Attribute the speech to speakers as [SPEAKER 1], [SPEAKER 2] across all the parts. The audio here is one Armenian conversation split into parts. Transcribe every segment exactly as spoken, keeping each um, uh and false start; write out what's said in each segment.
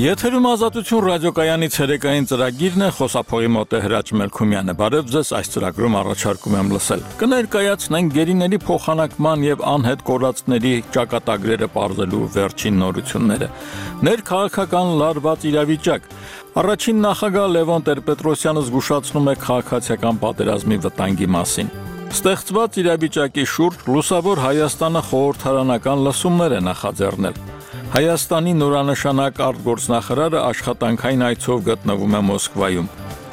[SPEAKER 1] Եթերում ազատություն ռադիոկայանի ցերեկային ծրագիրն է, խոսափողի մոտ է Հրաչ Մելքումյանը։ Բարև ձեզ, այս ծրագրում առաջարկում եմ լսել։ Կներկայացնենք գերիների փոխանակման եւ անհետ կորածների ճակատագրերը պարզելու վերջին նորությունները։ Ներքաղաքական լարված իրավիճակ։ Առաջին նախագահ Լևոն Տեր-Պետրոսյանը զգուշացնում է քաղաքացիական պատերազմի վտանգի մասին։ Ստեղծված իրավիճակի շուրջ լուսավոր Հայաստանը խորհրդարանական լսումներ է նախաձեռնել։ Հայաստանի նորանշանակ արտգործնախարարը աշխատանքային այցով գտնվում է Մոսկվայում։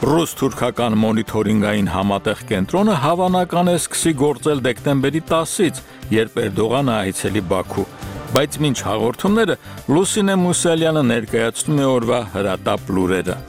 [SPEAKER 1] Ռուս-թուրքական մոնիթորինգային համատեղ կենտրոնը հավանական է սկսի գործել դեկտեմբերի տասից, երբ Էրդողանը այցելի Բաքու։ Բայց մինչ հաղորդումները Լուսինե Մուսալյանը ներկայացնում է օրվա հրատապ լուրերը։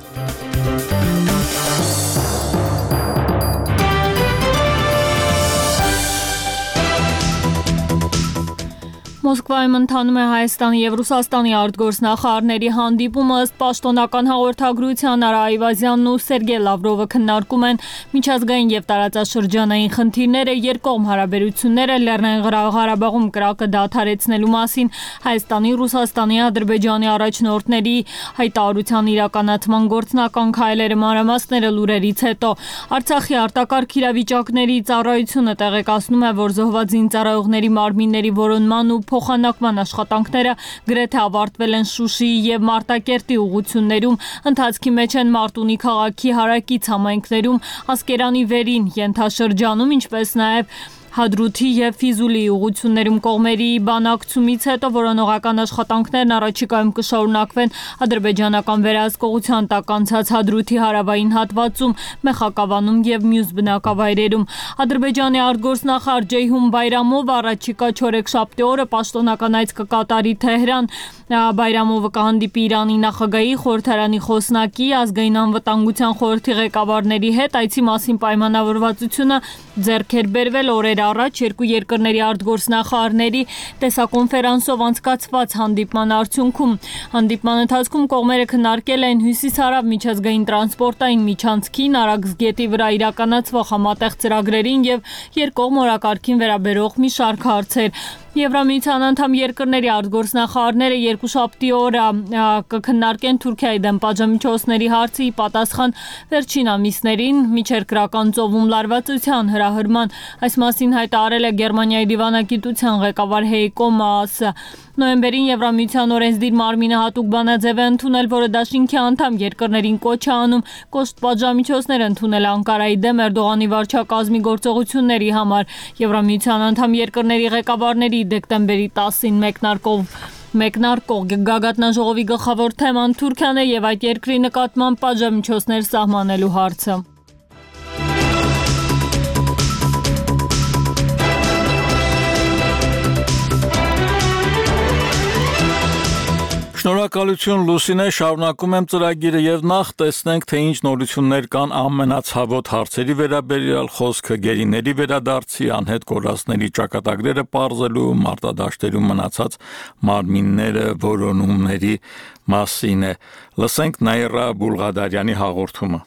[SPEAKER 2] Մոսկվայում ընթանում է Հայաստանի եւ Ռուսաստանի արտգործնախարարների հանդիպումը, ըստ պաշտոնական հաղորդագրության Արա Այվազյանն ու Սերգեյ Լավրովը քննարկում են միջազգային եւ տարածաշրջանային խնդիրները, երկկողմ հարաբերությունները, Լեռնային Ղարաբաղում կրակը դադարեցնելու մասին, Հայաստանի, Ռուսաստանի, Ադրբեջանի առաջնորդների հայտարարության իրականացման գործնական քայլերը, մանրամասները լուրերից հետո Արցախի արտակարգ իրավիճակների ծառայությունը տեղեկացնում է, որ զոհված զինծառայողների մարմինների որոնման ու փոխանակման աշխատանքները գրեթե ավարտվել են Շուշիի եւ Մարտակերտի ուղություններում, ընթացքի մեջ են Մարտունի քաղաքի հարակից համայնքներում, Ասկերանի վերին ենթաշրջանում, ինչպես նաեւ Հադրութի եւ Ֆիզուլի ուղություններում կողմերի բանակցումից հետո որոնողական աշխատանքներն առաջիկայում կշարունակվեն ադրբեջանական վերահսկողության տակ անցած Հադրութի հարավային հատվածում, Մեխակավանում եւ մյուս բնակավայրերում։ Ադրբեջանի արտգործնախարար Ջեյհուն Բայրամովը առաջիկա չորեքշաբթի օրը պաշտոնական այց կկատարի Թեհրան։ Բայրամովը կհանդիպի Իրանի նախագահի, խորհրդարանի խոսնակի, ազգային անվտանգության խորհրդի ղեկավարների հետ։ Այցի մասին պայմանավորվածությունը ձեռք էր բերվել օրեր առաջ երկու երկրների արտգործնախարարների տեսակոնֆերանսով անցկացված հանդիպման արդյունքում։ Հանդիպման ընթացքում կողմերը քննարկել են հյուսիս-հարավ միջազգային տրանսպորտային միջանցքին, Արաքս գետի վրա իրականացվող համատեղ ծրագրերին եւ երկկողմ օրակարգին վերաբերող մի շարք հարցեր։ Եվրամիության անդամ երկրների արտգործնախարարները երկուշաբթի օրը կքննարկեն Թուրքիայի դեմ պատժամիջոցների հարցի պատասխան վերջին ամիսներին միջերկրական ծովում լարվածության հրահրման։ Այս մասին հայտարարել է Գերմանիայի դիվանագիտության ղեկավար Հեյկո Մասը։ Նոյեմբերին Եվրամիության օրենսդիր մարմինը հատուկ բանաձև է ընդունել, որը դաշինքի անդամ երկրներին կոչ է անում կոշտ պատժամիջոցներ ընդունել Անկարայի դեմ Էրդողանի վարչակազմի գործողությունների համար։ Եվրամիության անդամ երկրների ղեկավարների դեկտեմբերի տասին մեկնարկով Մեկնարկող գագաթնաժողովի գլխավոր թեման Թուրքիան է եւ այդ երկրի նկատմամբ պատժամիջոցներ սահմանելու հարցը։
[SPEAKER 1] Շնորհակալություն Լուսինե, շարունակում եմ ծրագիրը եւ նախ տեսնենք, թե ինչ նորություններ կան ամենացավոտ հարցերի վերաբերյալ, խոսքը գերիների վերադարձի, անհետ կորածների ճակատագրերը պարզելու, մարտադաշտերում մնացած մարմինները որոնումների մասին է։ Լսենք Նաիրա Բուլղադարյանի հաղորդումը։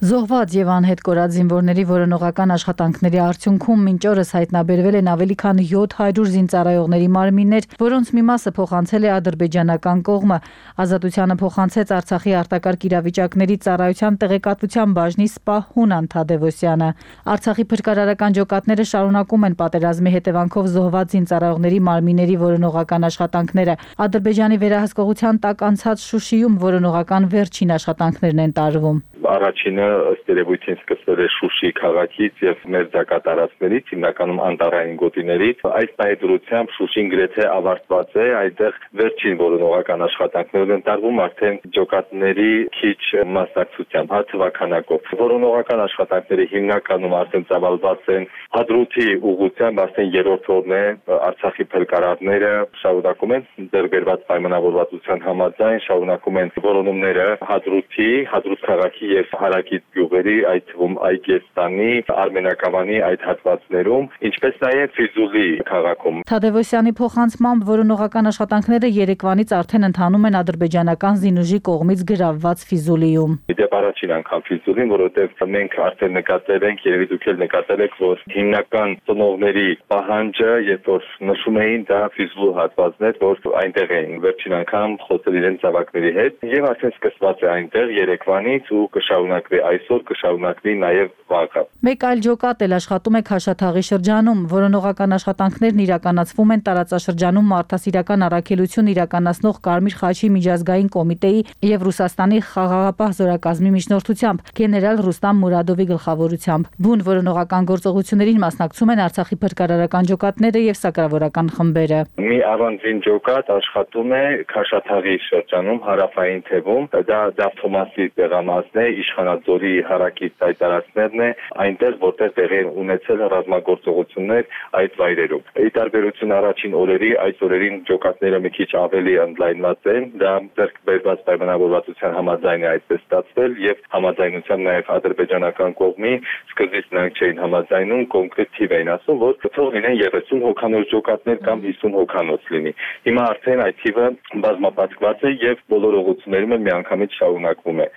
[SPEAKER 3] Զոհված եւ անհետ կորած զինվորների որոնողական աշխատանքների արդյունքում մինչ օրս հայտնաբերվել են ավելի քան յոթ հարյուր զինծառայողների մարմիններ, որոնց մի մասը փոխանցել է ադրբեջանական կողմը։ Ազատությանը փոխանցեց Արցախի արտակարգ իրավիճակների ծառայության տեղեկատվության բաժնի սպահուն Անթադևոսյանը։ Արցախի փրկարարական ջոկատները շարունակում են պատերազմի հետևանքով զոհված զինծառայողների մարմինների որոնողական աշխատանքները։ Ադրբեջանի վերահսկողության տակ անցած Շուշիում որոնողական վերջին աշխատանքներն են տարվում։
[SPEAKER 4] Առաջինը ըստ երևույթին սկսվել է Շուշի քաղաքից եւ մերձակատարածներից, հիմնականում անտառային գոտիներից։ Այս նայեցությամբ Շուշին գրեթե ավարտված է, այդտեղ վերջին որոնողական աշխատանքներն են տարվում արդեն ջոկատների քիչ մասնակցությամբ, հա թվականակով։ Որոնողական աշխատանքները հիմնականում արդեն ծավալված են Հադրութի ուղղությամբ, արդեն երրորդ օրն է Արցախի փրկարարները շարունակում են դեռ բերված պայմանավորվածության համաձայն շարունակում են որոնումները Հադրութի, Հադրութ քաղաքի եւ հարակից գյուղերի, այդ թվում Այգեստանի, Արմենակավանի այդ հատվածներում, ինչպես նաեւ Ֆիզուլի քաղաքում։
[SPEAKER 3] Թադևոսյանի փոխանցմամբ որոնողական աշխատանքները երեկվանից արդեն ընթանում են ադրբեջանական զինուժի կողմից գրավված Ֆիզուլիում։
[SPEAKER 4] Դեպ առաջին անգամ Ֆիզուլին, որովհետեւ մենք արդեն նկատել ենք, երևի դուք էլ նկատել եք, որ հիմնական ծնողների պահանջը, երբ որ նշում էին, դա Ֆիզուլու հատվածն էր, որ այնտեղ էին վերջին անգամ խոսել իրենց զավակների հետ, եւ արդեն սկսված է այնտեղ երեկվանից ու կշարունակվի այսօր, կշարունակվի նաեւ վաղը։
[SPEAKER 3] Մեկ այլ ջոկատ էլ աշխատում է Քաշաթաղի շրջանում, որոնողական աշխատանքներն իրականացվում են տարածաշրջանում մարդասիրական առաքելություն իրականացնող Կարմիր խաչի միջազգային կոմիտեի եւ Ռուսաստանի խաղաղապահ զորակազմի միջնորդությամբ, գեներալ Ռուստամ Մուրադովի գլխավորությամբ։ Բուն որոնողական գործողություններին մասնակցում են Արցախի փրկարարական ջոկատները եւ սակրավորական խմբերը։
[SPEAKER 4] Մի առանձին ջոկատ աշխատում է Քաշաթաղի շրջանում, հարավային թևում, դա Դավթոմասի տեղամասն է, Իշխանաձորի հարակից տարածքներն է, այնտեղ որտեղ տեղի են ունեցել ռազմագործողություններ այդ վայրերում։ Ի տարբերություն առաջին օրերի, այս օրերին ջոկատները մի քիչ ավելի ընդլայնված են, դա ձեռք բերված պայմանավորվածության համաձայն է այդպես ստացվել եւ համաձայնությամբ նաեւ ադրբեջանական կողմի սկզբից նրանք չէին համաձայնում, կոնկրետ թիվ էին ասում, որ թող լինեն երեսուն հոգանոց ջոկատներ կամ հիսուն հոգանոց լինի։ Հիմա արդեն այդ թիվը բազմապատկված է եւ բոլոր ուղղություններում միանգամից շարունակվում է։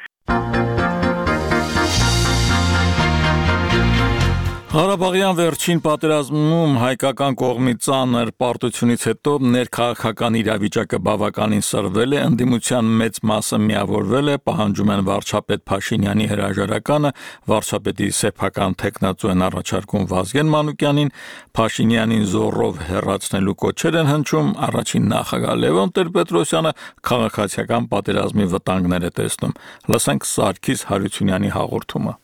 [SPEAKER 1] Ղարաբաղյան վերջին պատերազմում հայկական կողմի ծանր պարտությունից հետո ներքաղաքական իրավիճակը բավականին սրվել է, ընդդիմության մեծ մասը միավորվել է, պահանջում են վարչապետ Փաշինյանի հրաժարականը, վարչապետի սեփական թեկնածու են առաջարկում Վազգեն Մանուկյանին, Փաշինյանին զորով հեռացնելու կոչեր են հնչում, առաջին նախագահ Լևոն Տեր-Պետրոսյանը քաղաքացիական պատերազմի վտանգներ է տեսնում։ Լսենք Սարգիս Հարությունյանի հաղորդումը։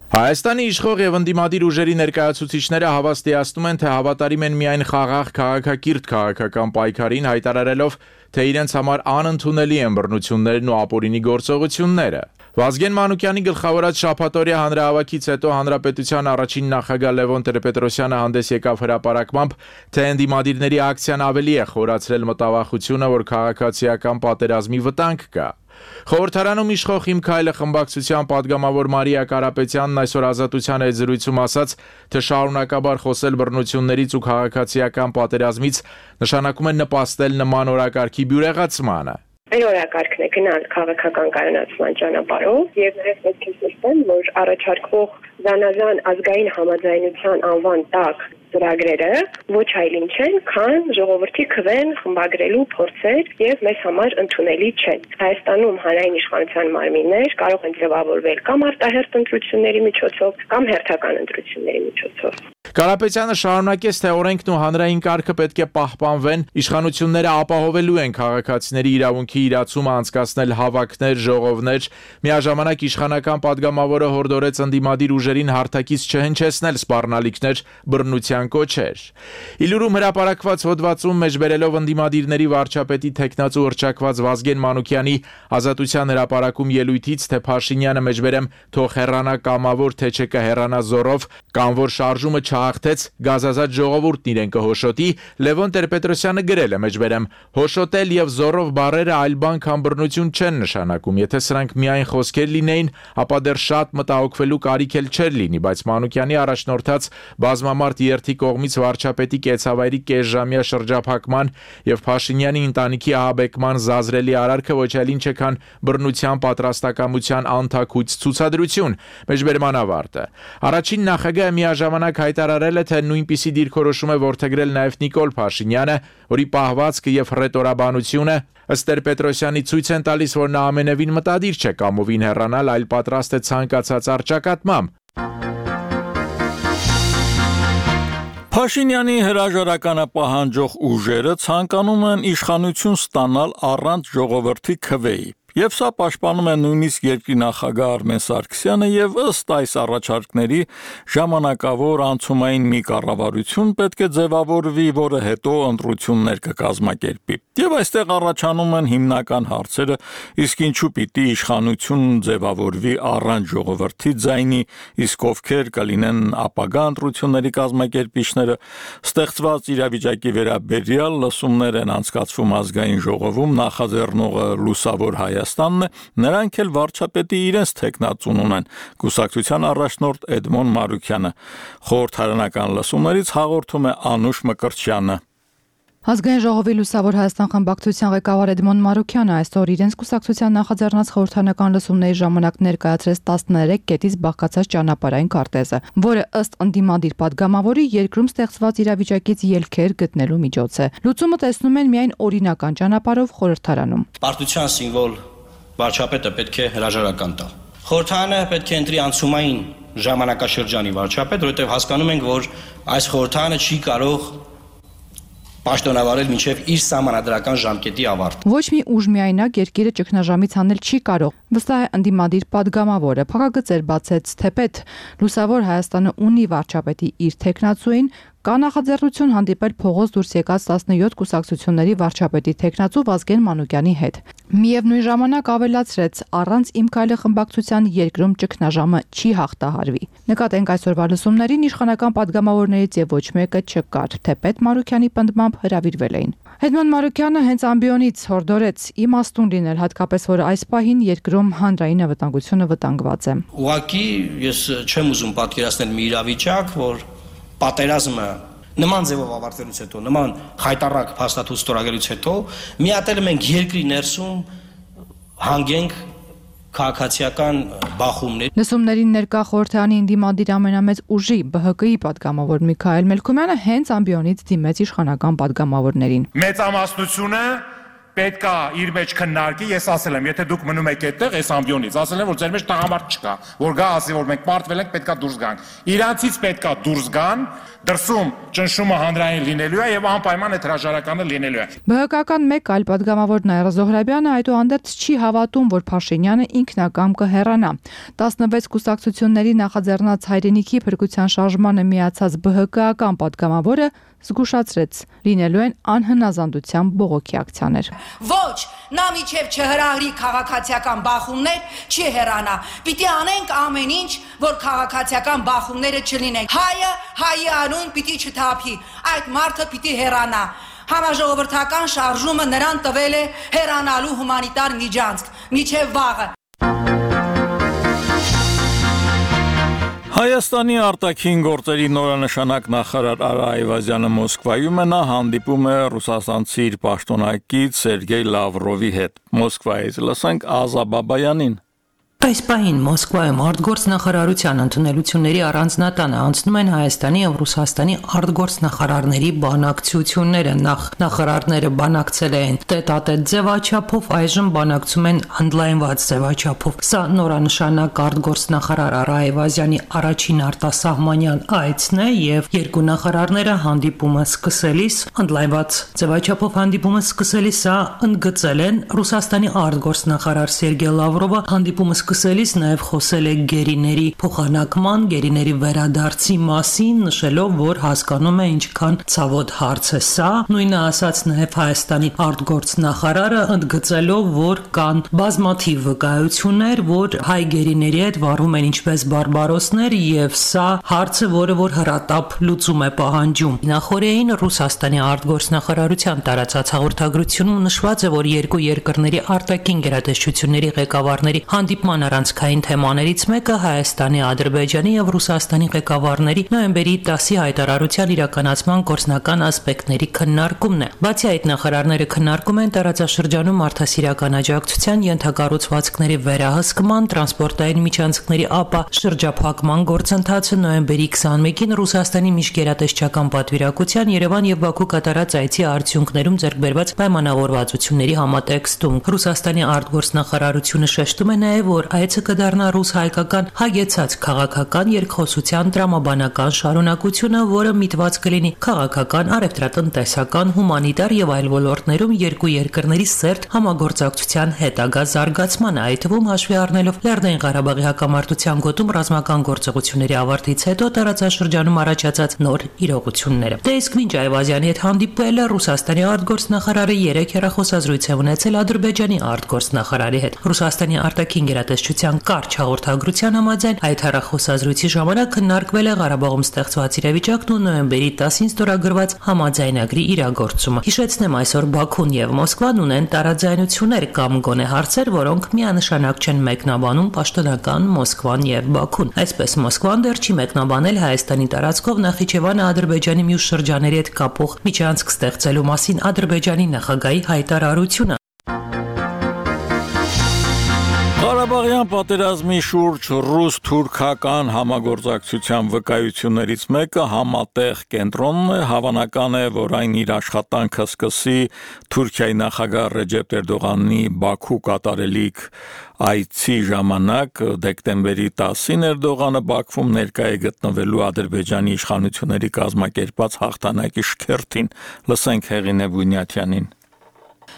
[SPEAKER 5] Հայաստանի իշխող եւ ընդդիմադիր ուժերի ներկայացուցիչները հավաստիացնում են, թե հավատարիմ են միայն խաղաղ քաղաքակիրթ քաղաքական պայքարին, հայտարարելով, թե իրենց համար անընդունելի են բռնություններն ու ապօրինի գործողությունները։ Վազգեն Մանուկյանի գլխավորած շաբաթօրյա հանրահավաքից հետո հանրապետության առաջին նախագահ Լևոն Տեր-Պետրոսյանը հանդես եկավ հրապարակմամբ, թե ընդդիմադիրների ակցիան ավելի է խորացրել մտավախությունը, որ քաղաքացիական պատերազմի վտանգ կա։ Խորհրդարանում իշխող Խիմքայլը խմբակցության падգամավոր Մարիա Կարապետյանն այսօր Ազատության հետ զրույցում ասաց, թե շարունակաբար խոսել բռնություններից ու քաղաքացիական պատերազմից նշանակում է նպաստել նման օրակարգի բյուրեղացմանը։
[SPEAKER 6] Մեր օրակարգն է գնալ քաղաքական կայունացման ճանապարհով եւ նաև պետք է տեսնել, որ առաջարկվող զանազան ազգային համաձայնության անվան տակ ծրագրերը ոչ այլ ինչ են, քան ժողովրդի քվեն խմբագրելու փորձեր եւ մեզ համար ընդունելի չեն։ Հայաստանում հանրային իշխանության մարմիններ կարող են ձևավորվել կամ արտահերթ ընտրությունների միջոցով, կամ հերթական ընտրությունների միջոցով։
[SPEAKER 5] Կարապետյանը շարունակեց, թե օրենքն ու հանրային կարգը պետք է պահպանվեն, իշխանությունները ապահովելու են քաղաքացիների իրավունքի իրացումը անցկացնել հավաքներ, ժողովներ, միաժամանակ իշխանական падգամավորը հորդորեց ընդդիմադիր ուժերին հարթակից չհնչեցնել սպառնալիքներ, բռնության կոչեր։ Իլուրում հրապարակված հոդվածում մեջբերելով ընդդիմադիրների վարչապետի թեկնածու հռչակված Վազգեն Մանուկյանի Ազատության հրապարակում ելույթից, թե Փաշինյանը մեջբերեմ թող հեռանա կամավոր, թե չէ կհեռանա զորով, կամ որ շարժումը չհաղթեց, գազազատ ժողովուրդն իրեն կհոշոտի, Լևոն Տեր-Պետրոսյանը գրել է մեջբերեմ. հոշոտել եւ զորով բառերը այլ բան քան բռնություն չեն նշանակում, եթե սրանք միայն խոսքեր լինեին, ապա դեռ շատ մտահոգվելու կարիք էլ չէր լինի, բայց Մանուկյանի առաջնորդած բազմամարդ երթի կողմից վարչապետի կեցավայրի կեսժամյա շրջափակման եւ Փաշինյանի ընտանիքի ահաբեկման զազրելի արարքը ոչ այլ ինչ է քան բռնության պատրաստակամության անթաքույց ցուցադրություն։ Մեջբերման ավարտը։ Առաջին նախագահը միաժամանակ հայտարարել է, թե նույնպիսի դիրքորոշում է որդեգրել նաև Նիկոլ Փաշինյանը, որի պահվածքը եւ հռետորաբանությունը ըստ Տեր-Պետրոսյանի ցույց են տալիս, որ նա ամենևին մտադիր չէ կամովին հեռանալ, այլ պատրաստ է ցանկացած առճակատմամբ։
[SPEAKER 1] Փաշինյանի հրաժարականը պահանջող ուժերը ցանկանում են իշխանություն ստանալ առանց ժողովրդի քվեի։ Եվ սա պաշտպանում է նույնիսկ երկրի նախագահ Արմեն Սարգսյանը եւ ըստ այս առաջարկների ժամանակավոր անցումային մի կառավարություն պետք է ձևավորվի, որը հետո ընտրություններ կկազմակերպի։ Եվ այստեղ առաջանում են հիմնական հարցերը, իսկ ինչու պիտի իշխանություն ձևավորվի առանց ժողովրդի ձայնի, իսկ ովքեր կլինեն ապագա ընտրությունների կազմակերպիչները, ստեղծված իրավիճակի վերաբերյալ լսումներ են անցկացվում ազգային ժողովում, նախաձեռնողը լուսավոր Հայաստան Հայաստանն է, նրանք էլ վարչապետի իրենց թեկնածուն ունեն։ Կուսակցության առաջնորդ Էդմոն Մարուկյանը խորհրդարանական լսումներից հաղորդում է Անուշ Մկրտչյանը։
[SPEAKER 7] Ազգային ժողովի Լուսավոր Հայաստան խմբակցության ղեկավար Էդմոն Մարուկյանը այսօր իրենց կուսակցության նախաձեռնած խորհրդարանական լսումների ժամանակ ներկայացրեց տասներեք կետից բաղկացած ճանապարհային քարտեզը, որը ըստ ընդդիմադիր падգամավորի երկրում ստեղծված իրավիճակից ելքեր գտնելու միջոց է։ Լուծումը տեսնում են միայն օրինական ճանապարհով խորհրդարանում։
[SPEAKER 8] Պարտության սիմվոլ վարչապետը պետք է հրաժարական տա։ Խորհրդարանը պետք է ընտրի անցումային ժամանակաշրջանի վարչապետ, որովհետև հասկանում ենք, որ այս խորհրդարանը չի կարող պաշտոնավարել մինչև իր սահմանադրական ժամկետի ավարտ։
[SPEAKER 7] Ոչ մի ուժմիայնակ երկիրը ճգնաժամից հանել չի կարող, վստահ է ընդդիմադիր падգամավորը։ Փակագծեր բացեց թեպետ Լուսավոր Հայաստանը ունի վարչապետի իր թեկնածուին, կա նախաձեռնություն հանդիպել փողոց դուրս եկած տասնյոթ կուսակցությունների վարչապետի թեկնածու Վազգեն Մանուկյանի հետ։ Միևնույն ժամանակ ավելացրեց, առանց Իմ քայլը խմբակցության երկրում ճգնաժամը չի հաղթահարվի։ Նկատենք այսօրվա լսումներին իշխանական падգամավորներից եւ ոչ մեկը չկար, թեպետ Մարուկյանի պնդմամբ հրավիրվել էին։ Էդմոն Մարուկյանը հենց ամբիոնից հորդորեց իմաստուն լինել, հատկապես որ այս պահին երկրում հանրային անվտանգությունը վտանգված է։
[SPEAKER 8] Ուղղակի ես չեմ ուզում պատկերացնել մի իրավիճակ, որ պատերազմը նման ձևով ավարտվելուց հետո, նման խայտառակ փաստաթուղթ ստորագրելուց հետո միատել ենք երկրի ներսում հանգենք քաղաքացիական բախումներ։
[SPEAKER 7] Լսումներին ներկա խորհրդարանի ընդդիմադիր ամենամեծ ուժի Բ Հ Կ-ի падգամավոր Միքայել Մելքումյանը հենց ամբիոնից դիմեց իշխանական падգամավորներին։
[SPEAKER 9] Մեծամասնությունը պետք է իր մեջ քննարկի, ես ասել եմ, եթե դուք մնում եք այդտեղ, այս ամբիոնից, ասել եմ, որ ձեր մեջ տղամարդ չկա, որ գա ասի, որ մենք պարտվել ենք, պետք է դուրս գանք։ Իրանցից պետք է դուրս գան, դրսում ճնշումը հանրային լինելու է եւ անպայման այդ հրաժարականը լինելու է։
[SPEAKER 7] Բ Հ Կական մեկ այլ падգամավոր Նաիրա Զոհրաբյանը այդուհանդերձ չի հավատում, որ Փաշինյանը ինքնակամ կհեռանա։ տասնվեց կուսակցությունների նախաձեռնած հայրենիքի փրկության շարժմանը միացած Բ Հ Կական падգամավորը զգուշացրեց, լինելու են անհնազանդության բողոքի ակցիաներ։
[SPEAKER 10] Ոչ, նա միջև չհրահրի քաղաքացիական բախումներ, չի հեռանա։ Պիտի անենք ամեն ինչ, որ քաղաքացիական բախումները չլինեն։ Հայը հայի անուն պիտի չթափի, այդ մարդը պիտի հեռանա։ Համաժողովրդական շարժումը նրան տվել է հեռանալու հումանիտար միջանցք, միջև վաղը։
[SPEAKER 1] Հայաստանի արտաքին գործերի նորանշանակ նախարար Արա Այվազյանը Մոսկվայում է, նա հանդիպում է ռուսաստանցի իր պաշտոնակից Սերգեյ Լավրովի հետ։ Մոսկվայից լսենք Ազա Բաբայանին։
[SPEAKER 11] Այս պահին Մոսկվայում արտգործնախարարության ընդունելությունների առանձնատանը անցնում են Հայաստանի եւ Ռուսաստանի արտգործնախարարների բանակցությունները։ Նախ նախարարները բանակցել են տետատետ ձևաչափով, այժմ բանակցում են ընդլայնված ձևաչափով։ Սա նորանշանակ արտգործնախարար Արա Այվազյանի առաջին արտասահմանյան այցն է եւ երկու նախարարները հանդիպումը սկսելիս ընդլայնված ձևաչափով հանդիպումը սկսելիս սա ընդգծել են Ռուսաստանի արտգործնախարար Սերգեյ Լավրովը հանդիպումը սկսելիս նաև խոսել է գերիների փոխանակման, գերիների վերադարձի մասին, նշելով, որ հասկանում է ինչքան ցավոտ հարց է սա։ Նույնը ասաց նաև Հայաստանի արտգործնախարարը, ընդգծելով, որ կան բազմաթիվ վկայություններ, որ հայ գերիների հետ վարվում են ինչպես բարբարոսներ, եւ սա հարցը, որը որ հրատապ լուծում է պահանջում։ Նախորդին Ռուսաստանի արտգործնախարարության տարածած հաղորդագրությունում նշված է, որ երկու երկրների արտաքին գերատեսչությունների ղեկավարների հանդիպման առանցքային թեմաներից մեկը Հայաստանի, Ադրբեջանի եւ Ռուսաստանի ղեկավարների նոյեմբերի տասի հայտարարության իրականացման գործնական ասպեկտների քննարկումն է։ Բացի այդ, նախարարները քննարկում են տարածաշրջանում մարդասիրական աջակցության, ենթակառուցվածքների վերահսկման, տրանսպորտային միջանցքների ապա շրջափակման գործընթացը նոյեմբերի քսաներկին Ռուսաստանի միջգերատեսչական պատվիրակության Երևան եւ Բաքու կատարած այցի արդյունքներում ձեռք բերված պայմանավորվածությունների համատեքստում։ Ռուսաստանի արտգործնախարարությունը շեշտում է նաեւ, որ այցը կդառնա ռուս-հայկական հագեցած քաղաքական երկխոսության տրամաբանական շարունակությունը, որը միտված կլինի քաղաքական, առևտրատնտեսական, հումանիտար եւ այլ ոլորտներում երկու երկրների սերտ համագործակցության հետագա զարգացմանը, այդ թվում հաշվի առնելով Լեռնային Ղարաբաղի հակամարտության գոտում ռազմական գործողությունների ավարտից հետո տարածաշրջանում առաջացած նոր իրողությունները։ Դե իսկ մինչ Այվազյանի հետ հանդիպելը Ռուսաստանի արտգործնախարարը երեք հեռախոսազրույց է ունեցել Ադրբեջանի արտգործնախարարի հետ։ Ռուսաստանի արտաքին գերատեսչության գերատեսչության կարճ հաղորդագրության համաձայն այդ հեռախոսազրույցի ժամանակ քննարկվել է Ղարաբաղում ստեղծված իրավիճակն ու նոյեմբերի տասին ստորագրված համաձայնագրի իրագործումը։ Հիշեցնեմ, այսօր Բաքուն եւ Մոսկվան ունեն տարաձայնություններ կամ գոնե հարցեր, որոնք միանշանակ չեն մեկնաբանում պաշտոնական Մոսկվան եւ Բաքուն։ Այսպես Մոսկվան դեռ չի մեկնաբանել Հայաստանի տարածքով Նախիջևանը Ադրբեջանի մյուս շրջանների հետ կապող միջանցք ստեղծելու մասին Ադրբեջանի նախագահի հայտարարությունը։
[SPEAKER 1] Ղարաբաղյան պատերազմի շուրջ ռուս-թուրքական համագործակցության վկայություններից մեկը համատեղ կենտրոնն է, հավանական է, որ այն իր աշխատանքը սկսի Թուրքիայի նախագահ Ռեջեփ Էրդողանի Բաքու կատարելիք այցի ժամանակ դեկտեմբերի տասին Էրդողանը Բաքվում ներկա է գտնվելու Ադրբեջանի իշխանությունների կազմակերպած հաղթանակի շքերթին։ Լսենք Հեղինե Բունյաթյանին։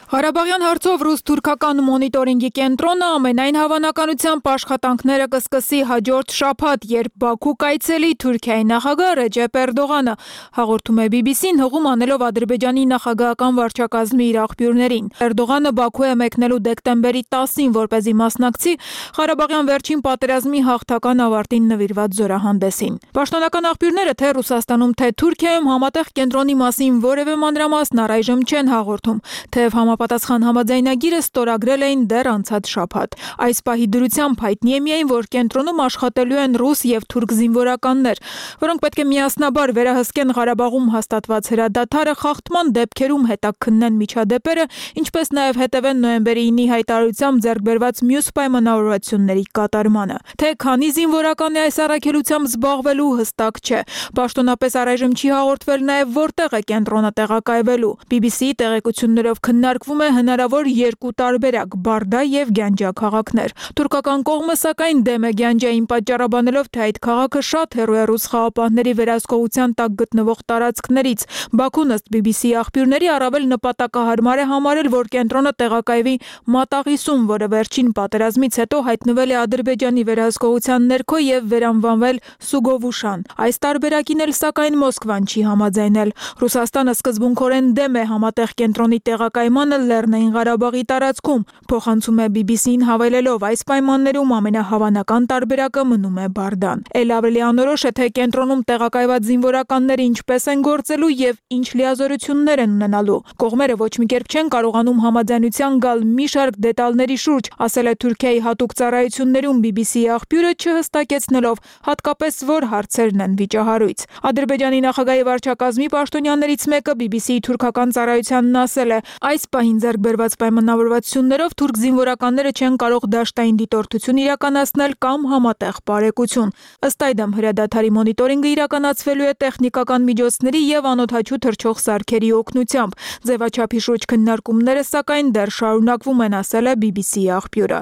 [SPEAKER 12] Ղարաբաղյան հարցով ռուս-թուրքական մոնիտորինգի կենտրոնը ամենայն հավանականությամբ աշխատանքները կսկսի հաջորդ շաբաթ, երբ Բաքու կայցելի Թուրքիայի նախագահ Ռեջեփ Էրդողանը, հաղորդում է բի բի սին հղում անելով Ադրբեջանի նախագահական վարչակազմի իր աղբյուրներին։ Էրդողանը Բաքու է մեկնելու դեկտեմբերի տասին, որպեսզի մասնակցի Ղարաբաղյան վերջին պատերազմի հաղթական ավարտին նվիրված զորահանդեսին։ Պաշտոնական աղբյուրները թե Ռուսաստանում, թե Թուրքիայում համատեղ կենտրոնի մասին որևէ մանրամասն առայժմ չեն հաղորդում, թեև Համապատասխան համաձայնագիրը ստորագրել էին դեռ անցած շաբաթ։ Այս պահի դրությամբ հայտնի է միայն, որ կենտրոնում աշխատելու են ռուս եւ թուրք զինվորականներ, որոնք պետք է միասնաբար վերահսկեն Ղարաբաղում հաստատված հրադադարը, խախտման դեպքերում հետաքննեն միջադեպերը, ինչպես նաեւ հետևեն նոյեմբերի ինի հայտարարությամբ ձեռք բերված մյուս պայմանավորվածությունների կատարմանը։ Թե քանի զինվորական է այս առաքելությամբ զբաղվելու հստակ չէ։ Պաշտոնապես առայժմ չի հաղորդվել նաեւ որտեղ է կենտրոնը տեղակայվելու։ բի բի սի տեղեկություններով քննարկվում է հնարավոր երկու տարբերակ՝ Բարդա եւ Գանջա քաղաքներ։ Թուրքական կողմը սակայն դեմ է Գանջային պատճառաբանելով, թե այդ քաղաքը շատ հեռու է ռուս խաղապահների վերահսկողության տակ գտնվող տարածքներից։ Բաքուն ըստ բի բի սի աղբյուրների առավել նպատակահարմար է համարել, որ կենտրոնը տեղակայվի Մատաղիսում, որը վերջին պատերազմից հետո հայտնվել է Ադրբեջանի վերահսկողության ներքո եւ վերանվանվել Սուգովուշան։ Այս տարբերակին էլ սակայն Մոսկվան չի համաձայնել։ Ռուսաստանը սկզբունքորեն դեմ է համատեղ կենտրոնի տեղակայմանը Լեռնային Ղարաբաղի տարածքում, փոխանցում է բի բի սին հավելելով, այս պայմաններում ամենահավանական տարբերակը մնում է Բարդան։ Էլ ավելի անորոշ է, թե կենտրոնում տեղակայված զինվորականները ինչպես են գործելու եւ ինչ լիազորություններ են ունենալու։ Կողմերը ոչ մի կերպ չեն կարողանում համաձայնության գալ մի շարք դետալների շուրջ, ասել է Թուրքիայի հատուկ ծառայություններում բի բի սի աղբյուրը, չհստակեցնելով հատկապես որ հարցերն են վիճահարույց։ Ադրբեջանի նախագահի վարչակազմի պաշտոնյաներից մեկը բի բի սիի թուրքական ծառայությանն ասել է, այս պահին ձեռք բերված պայմանավորվածություններով թուրք զինվորականները չեն կարող դաշտային դիտորդություն իրականացնել կամ համատեղ բարեկություն։ Ըստ այդմ հրադադարի մոնիտորինգը իրականացվելու է տեխնիկական միջոցների եւ անօդաչու թռչող սարքերի օգնությամբ։ Ձևաչափի շուրջ քննարկումները սակայն դեռ շարունակվում են, ասել է բի բի սի աղբյուրը։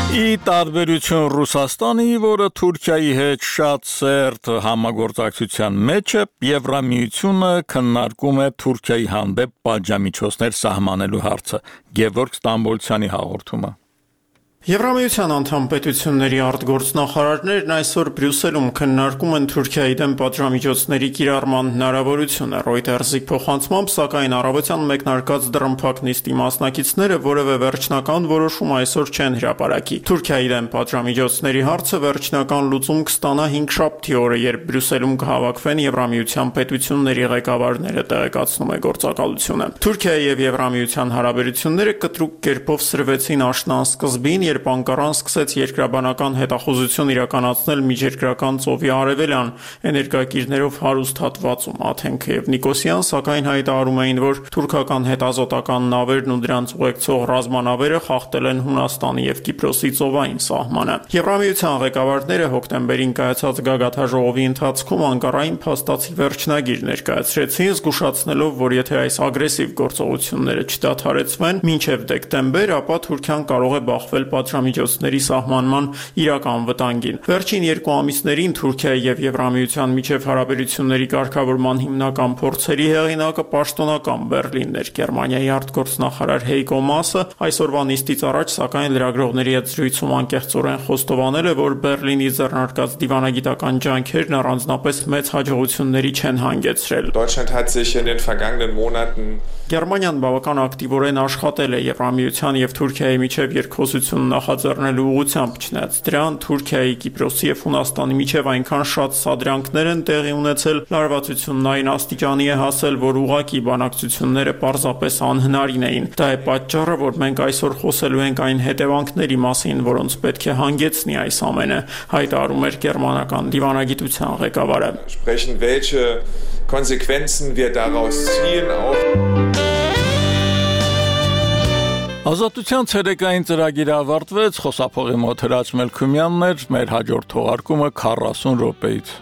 [SPEAKER 1] Ի տարբերություն Ռուսաստանի, որը Թուրքիայի հետ շատ սերտ համագործակցության մեջ է, Եվրամիությունը քննարկում է Թուրքիայի հանդեպ պատժամիջոցներ սահմանելու հարցը։ Գևորգ Ստամբոլցյանի հաղորդումը։
[SPEAKER 13] Եվրամիության անդամ պետությունների արտգործնախարարներն այսօր Բրյուսելում քննարկում են Թուրքիայի դեմ պատժամիջոցների կիրառման հնարավորությունը։ Reuters-ի փոխանցմամբ, սակայն առավոտյան մեկնարկած դռնփակ նիստի մասնակիցները որևէ վերջնական որոշում այսօր չեն հրապարակի։ Թուրքիայի դեմ պատժամիջոցների հարցը վերջնական լուծում կստանա հինգշաբթի օրը, երբ Բրյուսելում կհավաքվեն Եվրամիության պետությունների ղեկավարները, տեղեկացնում է գործակալությունը։ Թուրքիայի եւ Եվրամիության հարաբերությունները կտրուկ կերպով սրվեցին աշնան սկզբին, երբ Անկարան սկսեց երկրաբանական հետախուզություն իրականացնել միջերկրական ծովի արևելյան էներգակիրներով հարուստ հատվածում։ Աթենքը եւ Նիկոսիան սակայն հայտարարում էին, որ թուրքական հետազոտական նավերն ու դրանց ուղեկցող ռազմանավերը խախտել են Հունաստանի եւ Կիպրոսի ծովային սահմանը։ Եվրամիության ղեկավարները հոկտեմբերին կայացած գագաթաժողովի ընթացքում Անկարային փաստացի վերջնագիր ներկայացրեցին, զգուշացնելով, որ եթե այս ագրեսիվ գործողությունները չդադարեցվեն մինչև դեկտեմբեր, ապա Թուրքիան կարող է բախվել պատժամիջոցների սահմանման իրական վտանգին։ Վերջին երկու ամիսներին Թուրքիայի եւ Եվրամիության միջև հարաբերությունների կարգավորման հիմնական փորձերի հեղինակը պաշտոնական Բեռլինն էր։ Գերմանիայի արտգործնախարար Հեյկո Մասը այսօրվա նիստից առաջ սակայն լրագրողների հետ զրույցում անկեղծորեն խոստովանել է, որ Բեռլինի ձեռնարկած դիվանագիտական ջանքերն առանձնապես մեծ հաջողությունների չեն հանգեցրել։
[SPEAKER 14] Deutschland hat sich in den vergangenen Monaten
[SPEAKER 13] Գերմանիան բավական ակտիվորեն աշխատել է Եվրամիության եւ Թուրքիայի միջև երկխոսություն նախաձեռնելու ուղղությամբ, չնայած դրան Թուրքիայի, Կիպրոսի եւ Հունաստանի միջև այնքան շատ սադրանքներ են տեղի ունեցել, լարվածությունն այն աստիճանի է հասել, որ ուղղակի բանակցությունները պարզապես անհնարին էին։ Դա է պատճառը, որ մենք այսօր խոսելու ենք այն հետևանքների մասին, որոնց պետք է հանգեցնի այս ամենը, հայտարարում էր գերմանական դիվանագիտության ղեկավարը։
[SPEAKER 14] Sprechen welche Konsequenzen wir daraus ziehen auch
[SPEAKER 1] Ազատության ցերեկային ծրագիրը ավարտվեց, խոսափողի մոտ Հրաչ Մելքումյանն էր, մեր հաջորդ թողարկումը քառասուն րոպեից։